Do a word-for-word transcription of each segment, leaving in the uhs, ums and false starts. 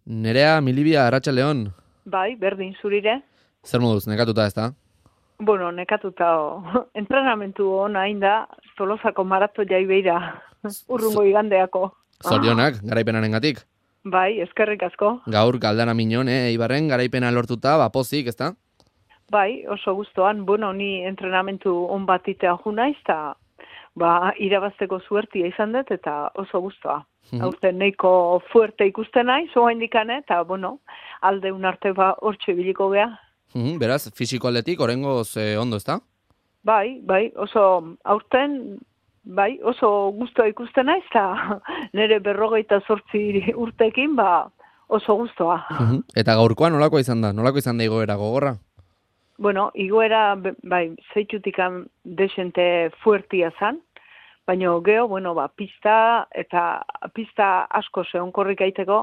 Nerea, Milibia, Arratsaldeon. Bai, berdin zurire. Zer moduz, nekatuta ez da? Bueno, nekatuta o, entrenamentu hona inda, Tolosako marato jai beira, urrungo igandeako. Zorionak, garaipenarengatik. Bai, eskerrik asko. Gaur galdara minon, eh, Ibarren, garaipena lortuta, bapozik, ez da? Bai, oso gustoan, bueno, ni entrenamentu on bat itea ju naiz, eta ba, irabazteko zuertia izan dut, eta oso gustoa. Aurten neiko fuerte ikusten naiz, oa indikane, eta, bueno, alde unarte ba, hortxe biliko gea. Mhm, beraz, fisiko aldetik, orengoz eh, ondo, ez da? Bai, bai, oso aurten, bai, oso gustoa ikusten naiz, eta nire berrogeita zortzi urtekin, ba, oso gustoa. Mhm. Eta gaurkoa nolako izan da? Nolako izan da igoera gogorra? Bueno, igoera, be- bai, zeitutikan desente fuertia zan, baina geho, bueno, ba, pista, eta pista asko zehonkorrik aiteko,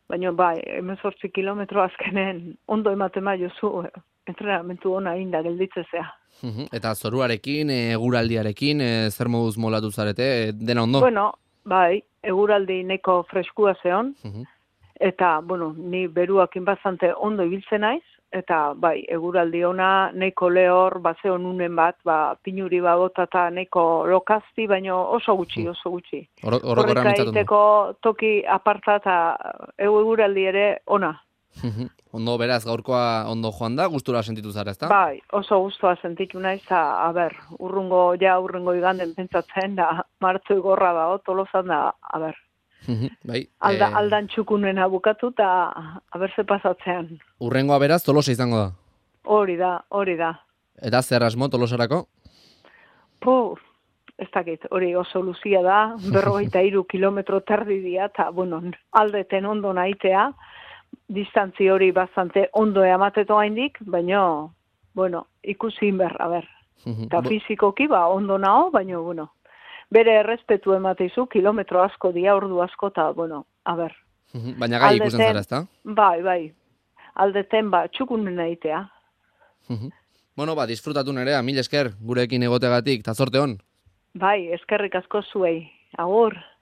baina, bai, hemezortzi kilometro azkenen ondo ematen bai jozu, eh, entrenamentu ona inda gelditzezea. Mhm. Eta zoruarekin, eh, eguraldiarekin, eh, zer moduz molatu zarete, eh, dena ondo? Bueno, bai, eguraldi neko freskua zeon, Mhm. eta, bueno, ni beruakin bastante ondo ibiltzen naiz, eta, bai, eguraldi ona, neko lehor, bazeon unen bat, ba, pinuri babota eta neko lokazti, baino oso gutxi, oso gutxi. Oro- Orokorra Korrika mintzatu ondo. egiteko toki aparta eta eguraldi ere ona. Mhm. Ondo, beraz, gaurkoa ondo joan da, gustura sentitu zara, ez da? Bai, oso gustoa sentitu naiz, eta, a ber, urrungo, ja urrungo iganden pentsatzen da, martzo igorra da, tolosan da, a ber. Mhm. Bai, Alda, eh, aldan txukunena bukatu eta aberse pasatzean. urrengoa beraz, Tolosa izango da. Hori da, hori da. Eta zer asmo Tolosarako? Po, ez dakit, hori oso luzia da, berrogeita hiru kilometro terdi dia, eta, bueno, aldeten ondo naitea, distantzi hori bastante ondo emateto haindik, baina, bueno, ikusi berra, ber. Mhm. Eta Bo- fizikoki, ba, ondo nao, baina, bueno, bere errespetu emateizu, kilometro asko dia, ordu asko, eta, bueno, a ber. Mhm. Baina gai ikusten Aldeten- zara, ez da? Bai, bai. Aldeten, ba, txukunen egitea. Mhm. Bueno, ba, disfrutatu nerea, mil esker, gurekin egotegatik, eta zorte hon. Bai, eskerrik asko zuei. Agur.